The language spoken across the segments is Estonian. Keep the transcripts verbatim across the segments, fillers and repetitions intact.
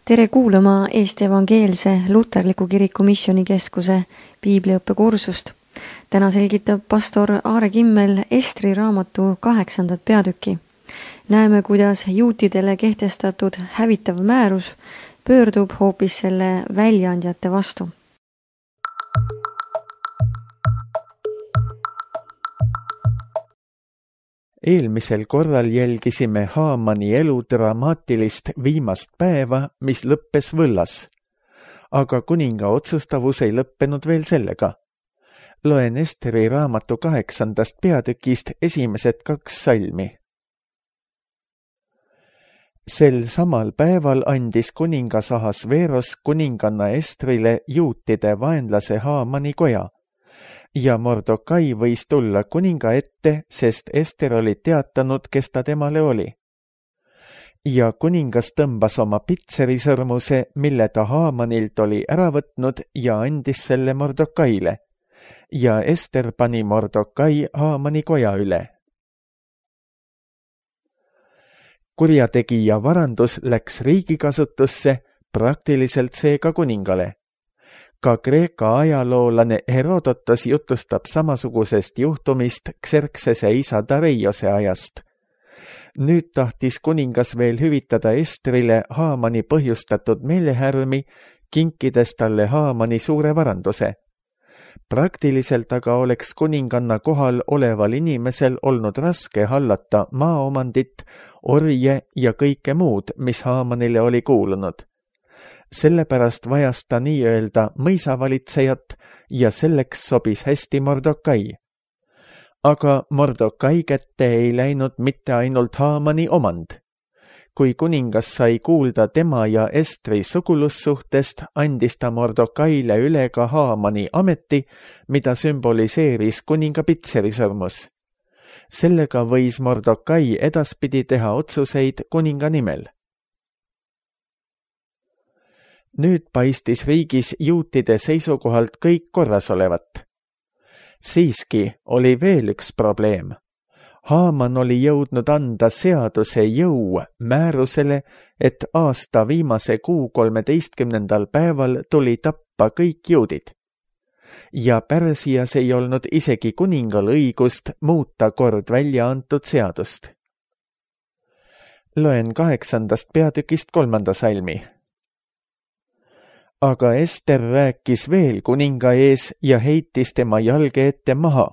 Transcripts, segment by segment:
Tere kuulama Eesti Evangeelse Luterliku Kiriku Missioonikeskuse piibliõppekursust. Täna selgitab pastor Aare Kimmel Estri raamatu kaheksandat peatükki. Näeme, kuidas juutidele kehtestatud hävitav määrus pöördub hoopis selle väljaandjate vastu. Eelmisel korral jälgisime Haamani elu dramaatilist viimast päeva, mis lõppes võllas. Aga kuninga otsustavus ei lõppenud veel sellega. Loen Esteri raamatu kaheksandast peatükist esimesed kaks salmi. Sel samal päeval andis kuningas Ahasveros kuninganna Estrile juutide vaenlase Haamani koja. Ja Mordokai võis tulla kuninga ette, sest Ester oli teatanud, kes ta temale oli. Ja kuningas tõmbas oma pitserisõrmuse, mille ta Haamanilt oli ära võtnud ja andis selle Mordokaile. Ja Ester pani Mordokai Haamani koja üle. Kurjategija varandus läks riigikasutusse, praktiliselt seega kuningale. Ka Kreeka ajaloolane Herodotos jutustab samasugusest juhtumist Xerxese isa Dareiose ajast. Nüüd tahtis kuningas veel hüvitada Estrile Haamani põhjustatud meelehärmi, kinkides talle Haamani suure varanduse. Praktiliselt aga oleks kuninganna kohal oleval inimesel olnud raske hallata maaomandit, orje ja kõike muud, mis Haamanile oli kuulunud. Sellepärast vajas ta nii-öelda mõisavalitsejat ja selleks sobis hästi Mordokai. Aga Mordokai kätte ei läinud mitte ainult Haamani omand. Kui kuningas sai kuulda tema ja Estri sugulussuhtest, andis ta Mordokaile üle ka Haamani ameti, mida sümboliseeris kuninga pitserisõrmus. Sellega võis Mordokai edaspidi teha otsuseid kuninga nimel. Nüüd paistis riigis juutide seisukohalt kõik korras olevat. Siiski oli veel üks probleem. Haaman oli jõudnud anda seaduse jõu määrusele, et aasta viimase kuu kolmeteistkümnendal päeval tuli tappa kõik juudid. Ja Pärsias ei olnud isegi kuningal õigust muuta kord välja antud seadust. Loen kaheksandast peatükist kolmanda salmi. Aga Ester rääkis veel kuninga ees ja heitis tema jalge ette maha,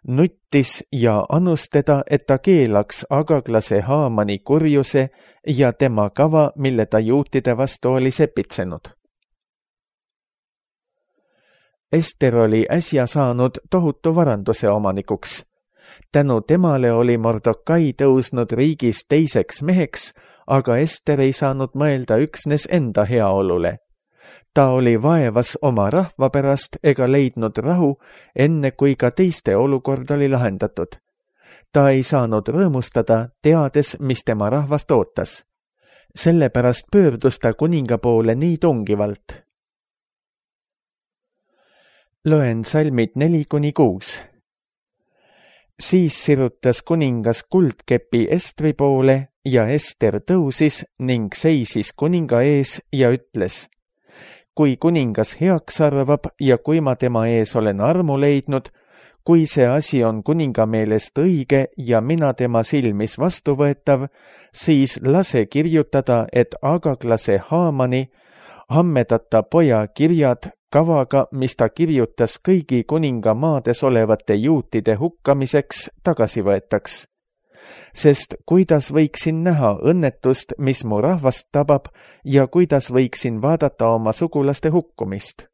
nuttis ja anus teda, et ta keelaks Agaglase Haamani kurjuse ja tema kava, mille ta juutide vastu oli sepitsenud. Ester oli äsja saanud tohutu varanduse omanikuks. Tänu temale oli Mordokai tõusnud riigis teiseks meheks, aga Ester ei saanud mõelda üksnes enda heaolule. Ta oli vaevas oma rahva pärast ega leidnud rahu, enne kui ka teiste olukord oli lahendatud. Ta ei saanud rõõmustada, teades, mis tema rahvast ootas. Sellepärast pöördus ta kuninga poole nii tungivalt. Loen salmid neli kuni kuus. Siis sirutas kuningas kuldkepi Estri poole ja Ester tõusis ning seisis kuninga ees ja ütles: kui kuningas heaks arvab ja kui ma tema ees olen armu leidnud, kui see asi on kuninga meelest õige ja mina tema silmis vastuvõetav, siis lase kirjutada, et Agaglase Haamani hammedata poja kirjad kavaga, mis ta kirjutas kõigi kuninga maades olevate juutide hukkamiseks, tagasi võetaks. Sest kuidas võiksin näha õnnetust, mis mu rahvast tabab, ja kuidas võiksin vaadata oma sugulaste hukkumist.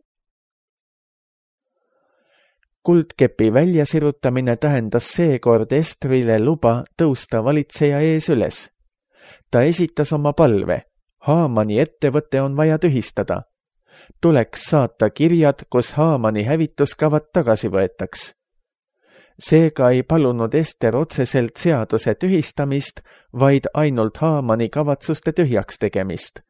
Kuldkepi väljasirutamine tähendas seekord Estrile luba tõusta valitseja ees üles. Ta esitas oma palve. Haamani ettevõte on vaja tühistada. Tuleks saata kirjad, kus Haamani hävituskavad tagasi võetaks. Seega ei palunud Ester otseselt seaduse tühistamist, vaid ainult Haamani kavatsuste tühjaks tegemist.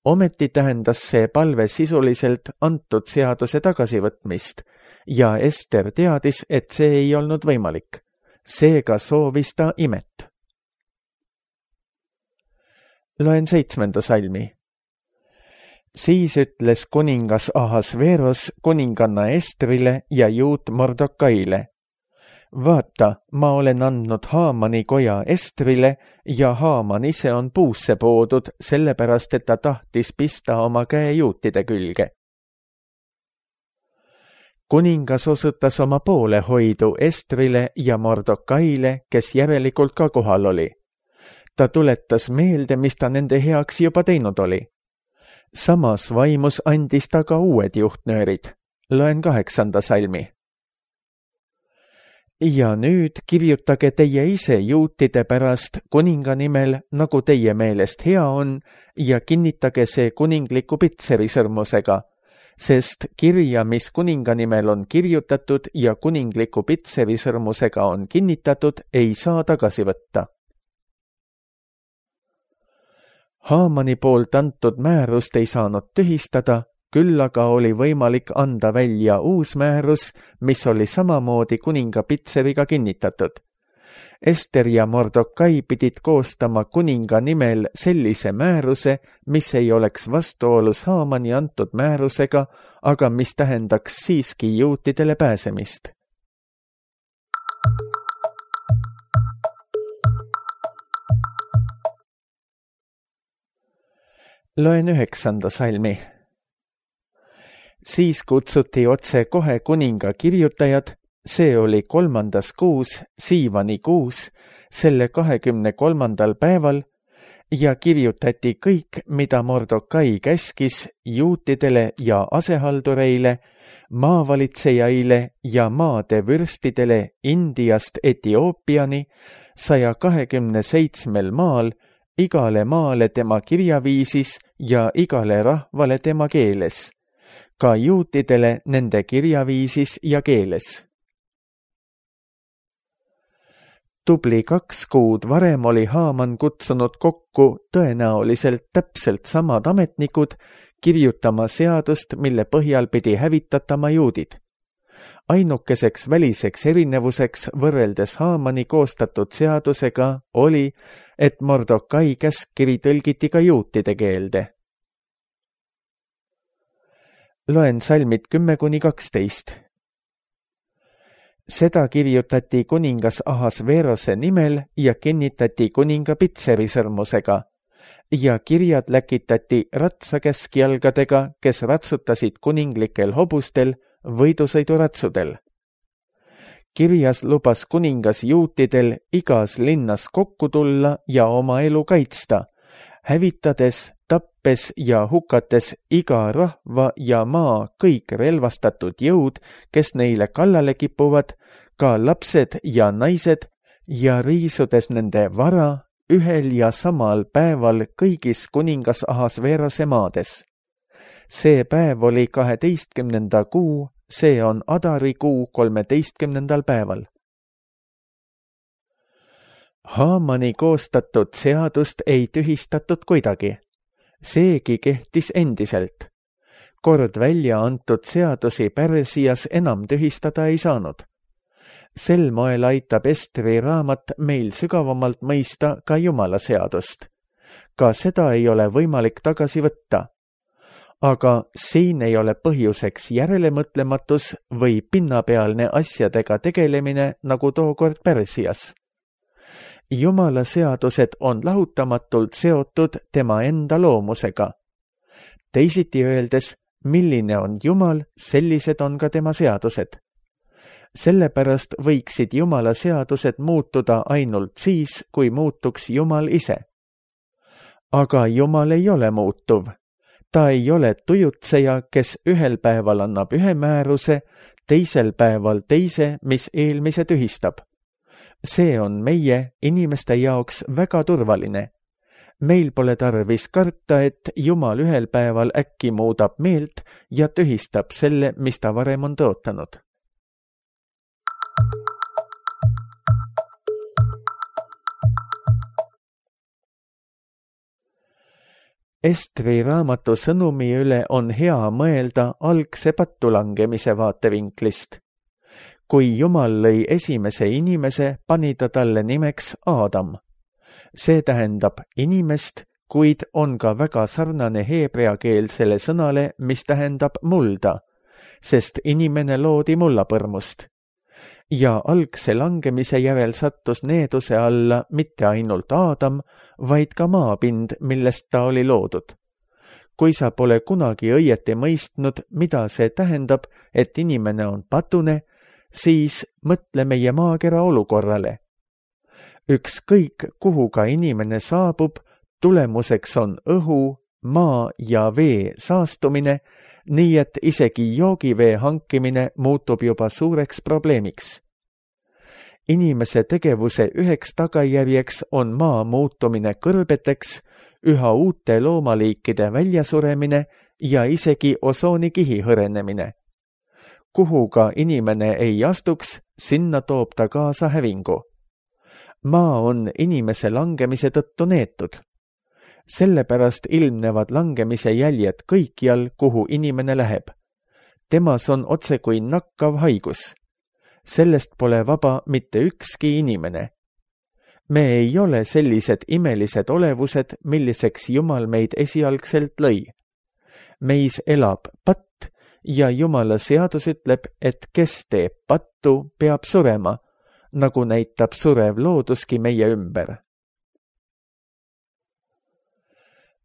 Ometi tähendas see palve sisuliselt antud seaduse tagasivõtmist ja Ester teadis, et see ei olnud võimalik. Seega soovis ta imet. Loen seitsmenda salmi. Siis ütles kuningas Ahasveros kuninganna Estrile ja juut Mordokaile: vaata, ma olen andnud Haamani koja Estrile ja Haaman ise on puusse poodud, sellepärast et ta tahtis pista oma käe juutide külge. Kuningas osutas oma poolehoidu Estrile ja Mordokaile, kes järelikult ka kohal oli. Ta tuletas meelde, mis ta nende heaks juba teinud oli. Samas vaimus andis ta ka uued juhtnöörid. Loen kaheksanda salmi. Ja nüüd kirjutage teie ise juutide pärast kuninga nimel, nagu teie meelest hea on, ja kinnitage see kuningliku pitseri sõrmusega, sest kirja, mis kuninga nimel on kirjutatud ja kuningliku pitseri sõrmusega on kinnitatud, ei saa tagasi võtta. Haamani poolt antud määrust ei saanud tühistada, küll aga oli võimalik anda välja uus määrus, mis oli samamoodi kuninga pitseriga kinnitatud. Ester ja Mordokai pidid koostama kuninga nimel sellise määruse, mis ei oleks vastuolus Haamani antud määrusega, aga mis tähendaks siiski juutidele pääsemist. Loen üheksanda salmi. Siis kutsuti otse kohe kuninga kirjutajad, see oli kolmandas kuus, Siivani kuus, selle kahekümne kolmandal päeval, ja kirjutati kõik, mida Mordokai käskis juutidele ja asehaldureile, maavalitsejaile ja maade vürstidele Indiast Etioopiani, saja kahekümne seitsmel maal, igale maale tema kirjaviisis ja igale rahvale tema keeles, ka juutidele nende kirjaviisis ja keeles. Tubli kaks kuud varem oli Haaman kutsunud kokku tõenäoliselt täpselt samad ametnikud kirjutama seadust, mille põhjal pidi hävitatama juudid. Ainukeseks väliseks erinevuseks võrreldes Haamani koostatud seadusega oli, et Mordokai käskkiri tõlgiti ka juutide keelde. Loen salmid kümme kuni kaksteist. Seda kirjutati kuningas Ahasverose nimel ja kinnitati kuninga pitseri sõrmusega ja kirjad läkitati ratsakäskjalgadega, kes ratsutasid kuninglikel hobustel võidusõiduratsudel. Kirjas lubas kuningas juutidel igas linnas kokku tulla ja oma elu kaitsta, hävitades, tappes ja hukates iga rahva ja maa kõik relvastatud jõud, kes neile kallale kipuvad, ka lapsed ja naised, ja riisudes nende vara ühel ja samal päeval kõigis kuningas Ahasverose maades. See päev oli kaheteistkümnenda kuu, see on Adari kuu kolmeteistkümnendal päeval. Haamani koostatud seadust ei tühistatud kuidagi. Seegi kehtis endiselt. Kord välja antud seadusi Pärsias enam tühistada ei saanud. Sel moel aitab Estri raamat meil sügavamalt mõista ka Jumala seadust. Ka seda ei ole võimalik tagasi võtta. Aga siin ei ole põhjuseks järelemõtlematus või pinnapealne asjadega tegelemine nagu tookord Pärsias. Jumala seadused on lahutamatult seotud tema enda loomusega. Teisiti öeldes, milline on Jumal, sellised on ka tema seadused. Sellepärast võiksid Jumala seadused muutuda ainult siis, kui muutuks Jumal ise. Aga Jumal ei ole muutuv. Ta ei ole tujutseja, kes ühel päeval annab ühe määruse, teisel päeval teise, mis eelmise tühistab. See on meie, inimeste jaoks väga turvaline. Meil pole tarvis karta, et Jumal ühel päeval äkki muudab meelt ja tühistab selle, mis ta varem on tõotanud. Estri raamatu sõnumi üle on hea mõelda algse pattulangemise vaatevinklist. Kui Jumal lõi esimese inimese, pani ta talle nimeks Aadam. See tähendab inimest, kuid on ka väga sarnane heebreakeelsele sõnale, mis tähendab mulda, sest inimene loodi mullapõrmust. Ja algse langemise järel sattus needuse alla mitte ainult Aadam, vaid ka maapind, millest ta oli loodud. Kui sa pole kunagi õieti mõistnud, mida see tähendab, et inimene on patune, siis mõtle meie maakera olukorrale. Ükskõik, kuhu ka inimene saabub, tulemuseks on õhu, maa ja vee saastumine, nii et isegi joogivee hankimine muutub juba suureks probleemiks. Inimese tegevuse üheks tagajärjeks on maa muutumine kõrbeteks, üha uute loomaliikide väljasuremine ja isegi osoonikihi hõrenemine. Kuhu ka inimene ei astuks, sinna toob ta kaasa hävingu. Maa on inimese langemise tõttu neetud. Sellepärast ilmnevad langemise jäljed kõikjal, kuhu inimene läheb. Temas on otse kui nakkav haigus. Sellest pole vaba mitte ükski inimene. Me ei ole sellised imelised olevused, milliseks Jumal meid esialgselt lõi. Meis elab patt ja Jumala seadus ütleb, et kes teeb pattu, peab surema, nagu näitab surev looduski meie ümber.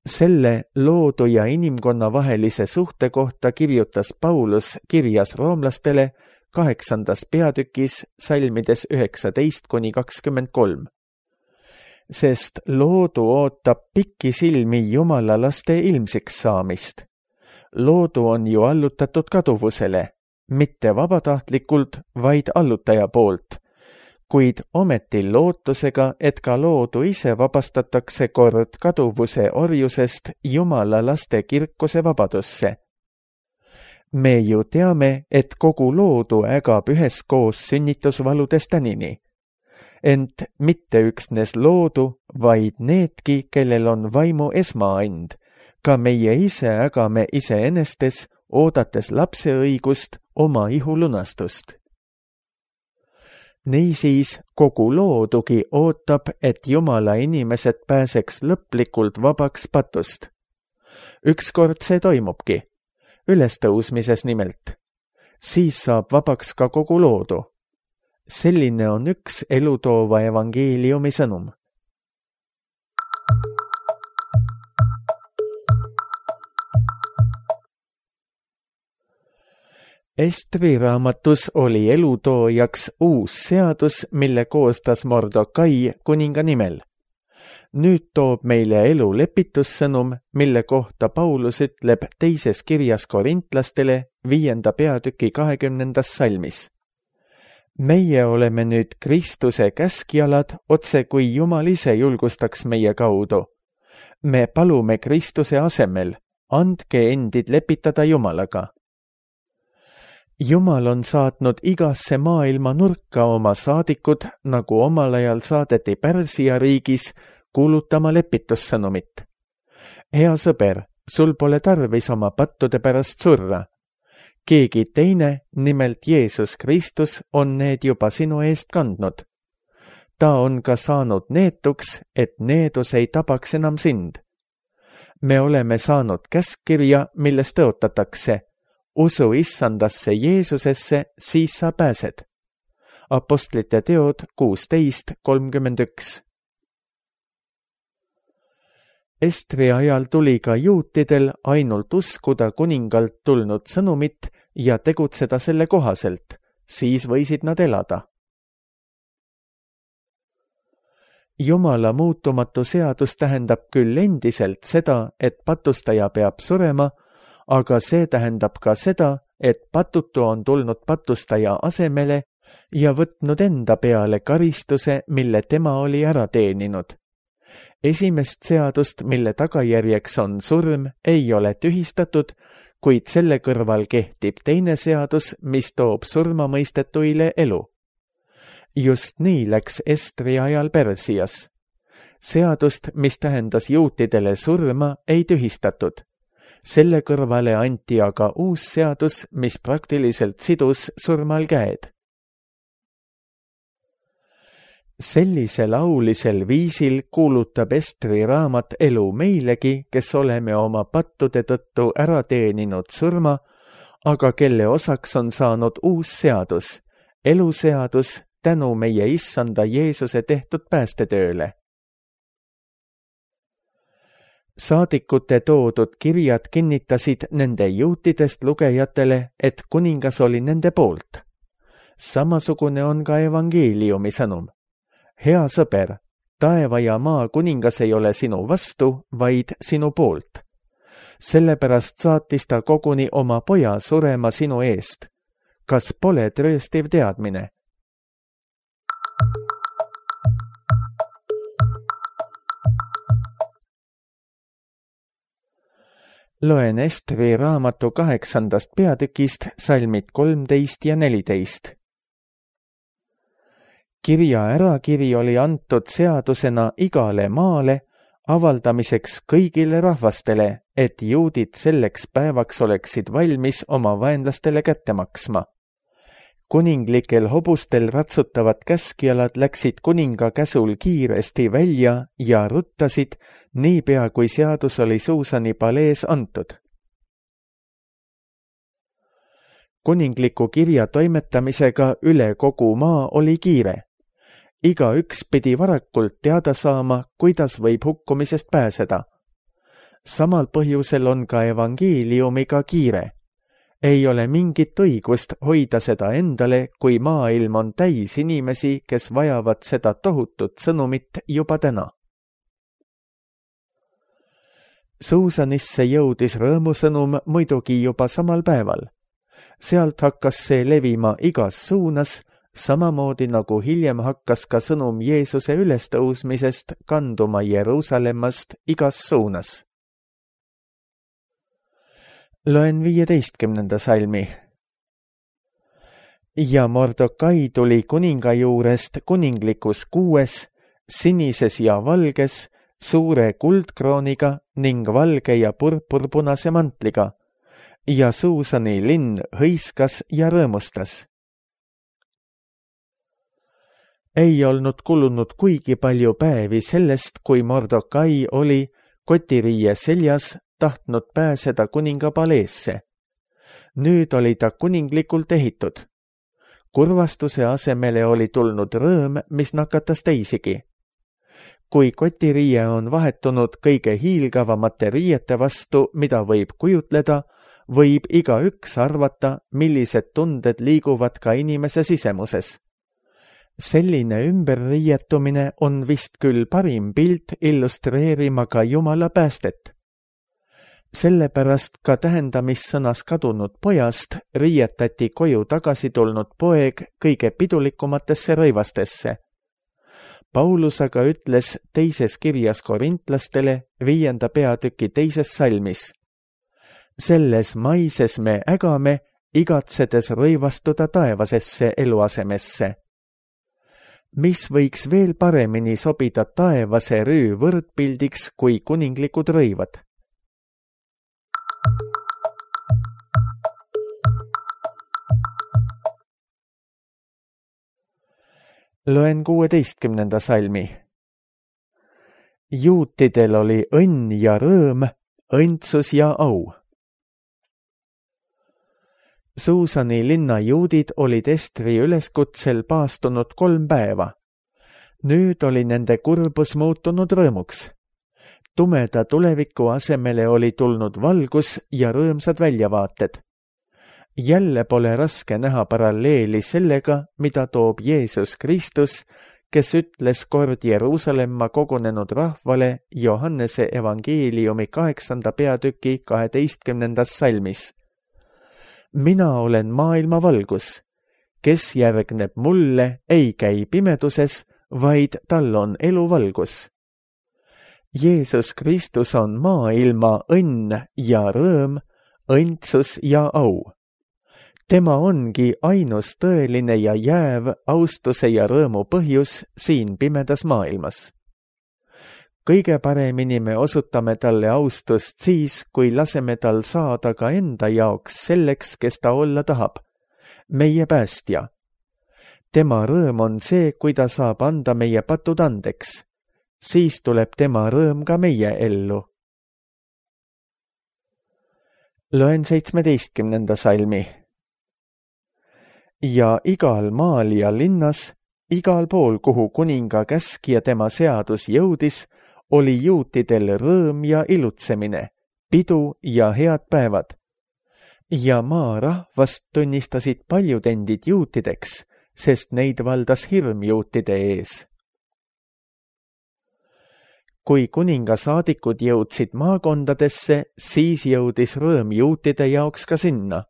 Selle loodu ja inimkonna vahelise suhte kohta kirjutas Paulus kirjas roomlastele kaheksandas peatükis salmides üheksateist kuni kakskümmend kolm. Sest loodu ootab pikisilmi Jumala laste ilmsiks saamist. Loodu on ju allutatud kaduvusele, mitte vabatahtlikult, vaid allutaja poolt, kuid ometi lootusega, et ka loodu ise vabastatakse kord kaduvuse orjusest Jumala laste kirkuse vabadusse. Me ju teame, et kogu loodu ägab üheskoos sünnitusvaludes tänini. Ent mitte üksnes loodu, vaid needki, kellel on vaimu esmaand, ka meie ise ägame iseenestes, oodates lapse õigust, oma ihu lunastust. Niisiis kogu loodugi ootab, et Jumala inimesed pääseks lõplikult vabaks patust. Ükskord see toimubki, ülestõusmises nimelt. Siis saab vabaks ka kogu loodu. Selline on üks elutoova evangeeliumi sõnum. Estri raamatus oli elutoojaks uus seadus, mille koostas Mordokai kuninga nimel. Nüüd toob meile elu lepitussõnum, mille kohta Paulus ütleb teises kirjas korintlastele viienda peatüki kahekümnendas salmis. Meie oleme nüüd Kristuse käskjalad, otse kui Jumal ise julgustaks meie kaudu. Me palume Kristuse asemel, andke endid lepitada Jumalaga. Jumal on saatnud igasse maailma nurka oma saadikud, nagu omal ajal saadeti Pärsia riigis kuulutama lepitussõnumit. Hea sõber, sul pole tarvis oma pattude pärast surra. Keegi teine, nimelt Jeesus Kristus, on need juba sinu eest kandnud. Ta on ka saanud neetuks, et needus ei tabaks enam sind. Me oleme saanud käskkirja, milles tõotatakse. Usu issandasse Jeesusesse, siis sa pääsed. Apostlite teod kuusteist kolmkümmend üks. Estri ajal tuli ka juutidel ainult uskuda kuningalt tulnud sõnumit ja tegutseda selle kohaselt, siis võisid nad elada. Jumala muutumatu seadus tähendab küll endiselt seda, et patustaja peab surema, aga see tähendab ka seda, et patutu on tulnud patustaja asemele ja võtnud enda peale karistuse, mille tema oli ära teeninud. Esimest seadust, mille tagajärjeks on surm, ei ole tühistatud, kuid selle kõrval kehtib teine seadus, mis toob surmamõistetuile elu. Just nii läks Estri ajal Pärsias. Seadust, mis tähendas juutidele surma, ei tühistatud. Selle kõrvale anti aga uus seadus, mis praktiliselt sidus surmal käed. sellisel aulisel viisil kuulutab Estri raamat elu meilegi, kes oleme oma pattude tõttu ära teeninud surma, aga kelle osaks on saanud uus seadus, eluseadus tänu meie issanda Jeesuse tehtud päästetööle. Saadikute toodud kirjad kinnitasid nende juutidest lugejatele, et kuningas oli nende poolt. Samasugune on ka evangeeliumi sõnum. Hea sõber, taeva ja maa kuningas ei ole sinu vastu, vaid sinu poolt. Sellepärast saatis ta koguni oma poja surema sinu eest. Kas pole trööstiv teadmine? Loen Estri raamatu kaheksandast peatükist salmid kolmteist ja neliteist. Kirja ärakiri oli antud seadusena igale maale, avaldamiseks kõigile rahvastele, et juudid selleks päevaks oleksid valmis oma vaenlastele kätte maksma. Kuninglikel hobustel ratsutavad käskjalad läksid kuninga käsul kiiresti välja ja ruttasid, niipea kui seadus oli Suusani palees antud. Kuningliku kirja toimetamisega üle kogu maa oli kiire. Iga üks pidi varakult teada saama, kuidas võib hukkumisest pääseda. Samal põhjusel on ka evangeeliumiga kiire. Ei ole mingit õigust hoida seda endale, kui maailm on täis inimesi, kes vajavad seda tohutut sõnumit juba täna. Suusanisse jõudis rõõmusõnum muidugi juba samal päeval. Sealt hakkas see levima igas suunas, samamoodi nagu hiljem hakkas ka sõnum Jeesuse ülestõusmisest kanduma Jeruusalemmast igas suunas. Loen viieteistkümnenda salmi. Ja Mordokai tuli kuninga juurest kuninglikus kuues, sinises ja valges, suure kuldkrooniga ning valge ja purpurpunase mantliga, ja Suusani linn hõiskas ja rõõmustas. Ei olnud kulunud kuigi palju päevi sellest, kui Mordokai oli kotiriie seljas tahtnud pääseda kuninga paleesse. Nüüd oli ta kuninglikult ehitud. Kurvastuse asemele oli tulnud rõõm, mis nakatas teisigi. Kui kotiriie on vahetunud kõige hiilgavamate riiete vastu, mida võib kujutleda, võib iga üks arvata, millised tunded liiguvad ka inimese sisemuses. Selline ümberriietumine on vist küll parim pilt illustreerima ka Jumala päästet. Sellepärast ka tähendamissõnas kadunud pojast riietati koju tagasi tulnud poeg kõige pidulikumatesse rõivastesse. Paulus aga ütles teises kirjas korintlastele viienda peatüki teises salmis. Selles maises me ägame, igatsedes rõivastuda taevasesse eluasemesse. Mis võiks veel paremini sobida taevase rüü võrdpildiks kui kuninglikud rõivad? Loen kuueteistkümnenda salmi. Juutidel oli õnn ja rõõm, õndsus ja au. Suusani linna juudid olid Estri üleskutsel paastunud kolm päeva. Nüüd oli nende kurbus muutunud rõõmuks. Tumeda tuleviku asemele oli tulnud valgus ja rõõmsad väljavaated. Jälle pole raske näha paralleeli sellega, mida toob Jeesus Kristus, kes ütles kord Jeruusalemma kogunenud rahvale Johannese evangeeliumi kaheksanda peatüki kaheteistkümnendas salmis. Mina olen maailma valgus. Kes järgneb mulle, ei käi pimeduses, vaid tal on eluvalgus. Jeesus Kristus on maailma õnn ja rõõm, õndsus ja au. Tema ongi ainus tõeline ja jääv austuse ja rõõmu põhjus siin pimedas maailmas. Kõige paremini me osutame talle austust siis, kui laseme tal saada ka enda jaoks selleks, kes ta olla tahab, meie päästja. tema rõõm on see, kui ta saab anda meie patud andeks. Siis tuleb tema rõõm ka meie ellu. Loen seitsmeteistkümnenda salmi. Ja igal maal ja linnas, igal pool, kuhu kuninga käsk ja tema seadus jõudis, oli juutidel rõõm ja ilutsemine, pidu ja head päevad. Ja maa rahvast tunnistasid paljud endid juutideks, sest neid valdas hirm juutide ees. Kui kuninga saadikud jõudsid maakondadesse, siis jõudis rõõm juutide jaoks ka sinna.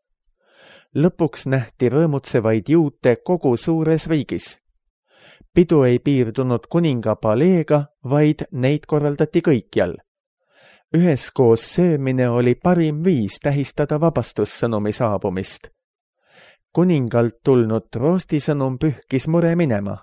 Lõpuks nähti rõõmutsevaid juute kogu suures riigis. Pidu ei piirdunud kuninga paleega, vaid neid korraldati kõikjal. Üheskoos söömine oli parim viis tähistada vabastussõnumi saabumist. Kuningalt tulnud roostisõnum pühkis mure minema.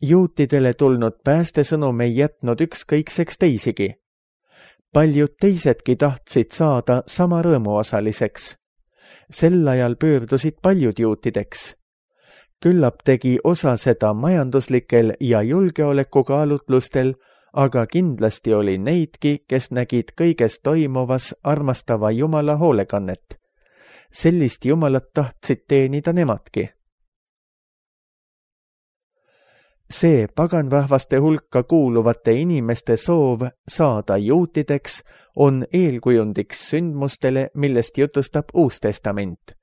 Juutidele tulnud päästesõnum ei jätnud ükskõikseks teisigi. Paljud teisedki tahtsid saada sama rõõmuosaliseks. Sel ajal pöördusid paljud juutideks. Küllap tegi osa seda majanduslikel ja julgeolekukaalutlustel, aga kindlasti oli neidki, kes nägid kõiges toimuvas armastava Jumala hoolekannet. Sellist Jumalat tahtsid teenida nemadki. See paganrahvaste hulka kuuluvate inimeste soov saada juutideks on eelkujundiks sündmustele, millest jutustab Uus Testament.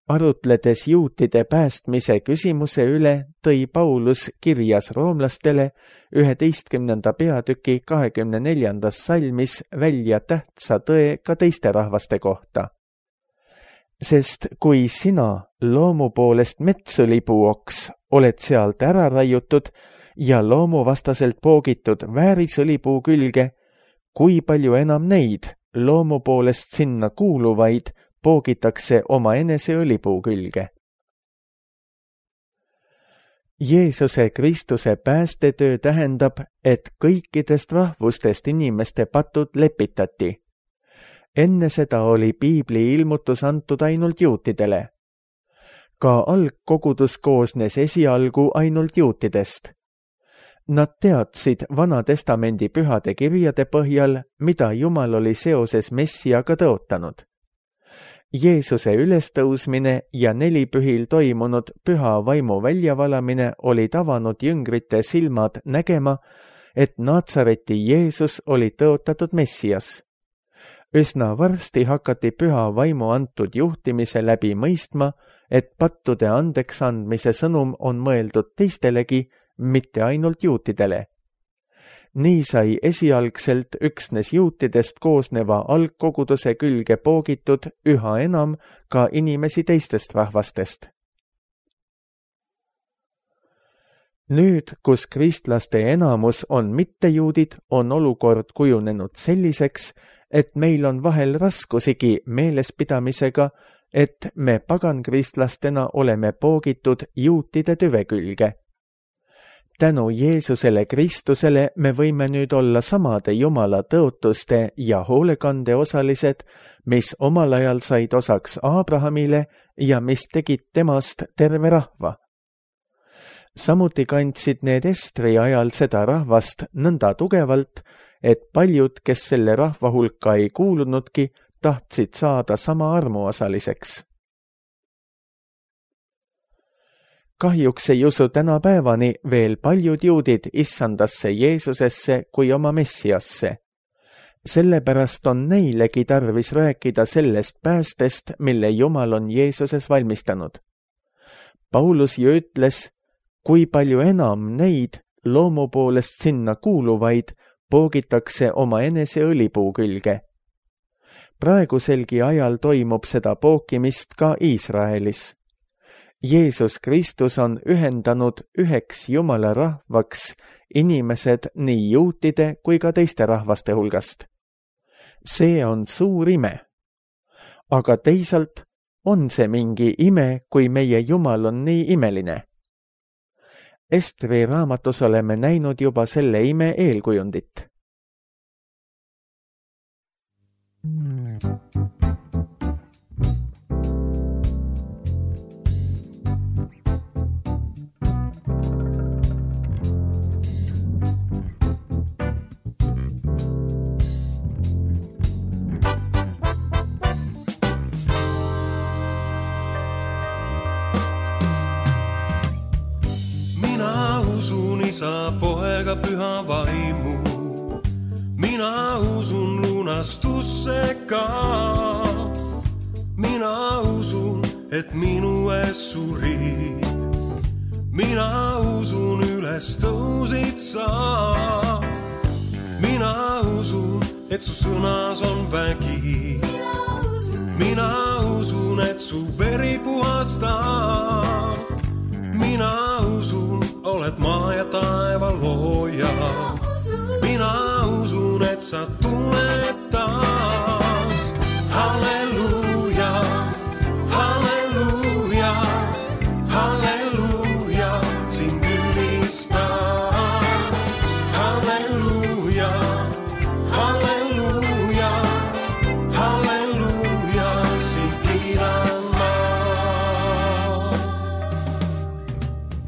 Arutledes juutide päästmise küsimuse üle, tõi Paulus kirjas roomlastele üheteistkümnenda peatüki kahekümne neljandas salmis välja tähtsa tõe ka teiste rahvaste kohta. Sest kui sina loomu poolest metsõlipuoks oled sealt ära raiutud ja loomuvastaselt poogitud väärisõlipuu külge, kui palju enam neid loomu poolest sinna kuuluvaid poogitakse oma enese õlipuu külge. Jeesuse Kristuse päästetöö tähendab, et kõikidest rahvustest inimeste patud lepitati. Enne seda oli piibli ilmutus antud ainult juutidele. Ka algkogudus koosnes esialgu ainult juutidest. Nad teadsid Vana Testamendi pühade kirjade põhjal, mida Jumal oli seoses Messiaga tõotanud. Jeesuse ülestõusmine ja nelipühil toimunud püha vaimu väljavalamine olid avanud jüngrite silmad nägema, et Naatsareti Jeesus oli tõotatud Messias. Üsna varsti hakati püha vaimu antud juhtimise läbi mõistma, et pattude andeks andmise sõnum on mõeldud teistelegi, mitte ainult juutidele. Nii sai esialgselt üksnes juutidest koosneva algkoguduse külge poogitud üha enam ka inimesi teistest rahvastest. Nüüd, kus kristlaste enamus on mittejuudid, on olukord kujunenud selliseks, et meil on vahel raskusigi meelespidamisega, et me pagankristlastena oleme poogitud juutide tüve külge. Tänu Jeesusele Kristusele me võime nüüd olla samade Jumala tõotuste ja hoolekande osalised, mis omal ajal said osaks Abrahamile ja mis tegid temast terve rahva. Samuti kandsid need Estri ajal seda rahvast nõnda tugevalt, et paljud, kes selle rahva hulka ei kuulunudki, tahtsid saada sama armuosaliseks. Kahjuks ei usu tänapäevani veel paljud juudid issandasse Jeesusesse kui oma Messiasse. Sellepärast on neilegi tarvis rääkida sellest päästest, mille Jumal on Jeesuses valmistanud. Paulus ju ütles, kui palju enam neid loomu poolest sinna kuuluvaid poogitakse oma enese õlipuu külge. Praeguselgi ajal toimub seda pookimist ka Iisraelis. Jeesus Kristus on ühendanud üheks Jumala rahvaks inimesed nii juutide kui ka teiste rahvaste hulgast. See on suur ime. Aga teisalt on see mingi ime, kui meie Jumal on nii imeline. Estri raamatus oleme näinud juba selle ime eelkujundit. Isa, poega, püha vaimu. Mina usun lunastusse ka. Mina usun, et minu ees surid. Mina usun, üles tõusid sa. Mina usun, et su sõnas on vägi. Mina usun, et su veri puhastab. Mina usun, oled maa ja taeva looja. Mina usun, et sa tuled taas. Halleluuja, halleluuja, halleluuja, sind ülistan. Halleluuja, halleluuja, halleluuja, sind kiidan.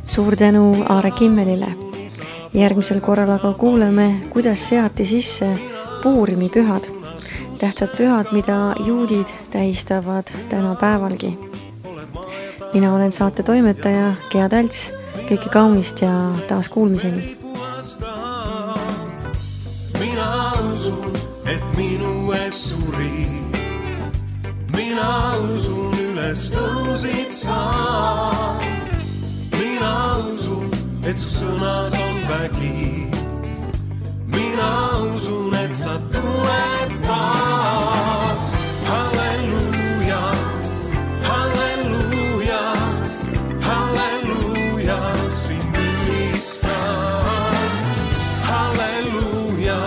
Suur tänu Aare Kimmelile. Järgmisel korral aga kuuleme, kuidas seati sisse Puurimi pühad, tähtsad pühad, mida juudid tähistavad tänapäevalgi. Mina olen saate toimetaja Gea Talts, kõike kaunist ja taas kuulmiseni. Mina usun, et minu ees surid. Mina usun, üles tõusid sa. Mina usun, et su sõnas on vägi. Mina usun, et sa tuled taas. Halleluuja, halleluuja, halleluuja, sind ülistan. Halleluuja,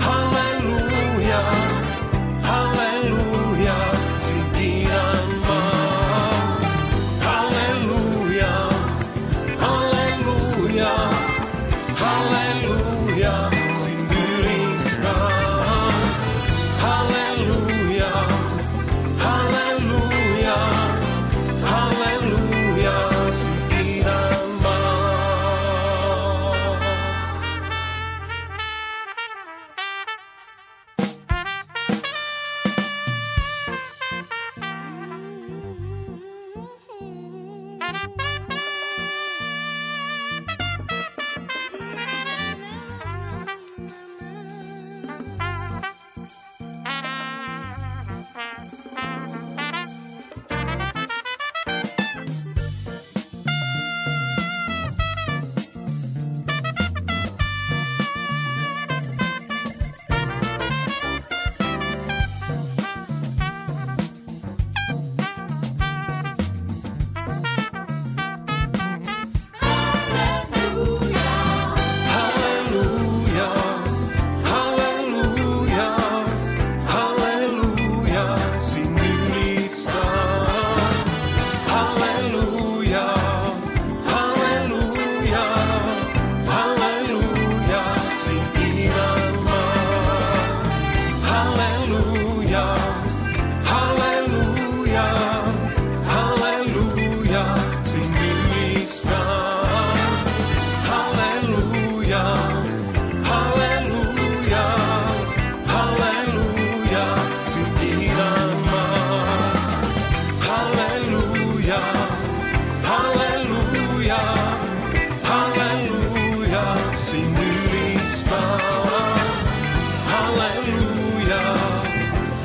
halleluuja, halleluuja, sind kiidan ma. Halleluuja, halleluuja, halleluuja, sind ülistan. Halleluuja, halleluuja, halleluuja, sind kiidan ma.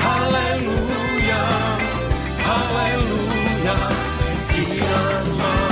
Halleluuja, halleluuja, sind kiidan ma.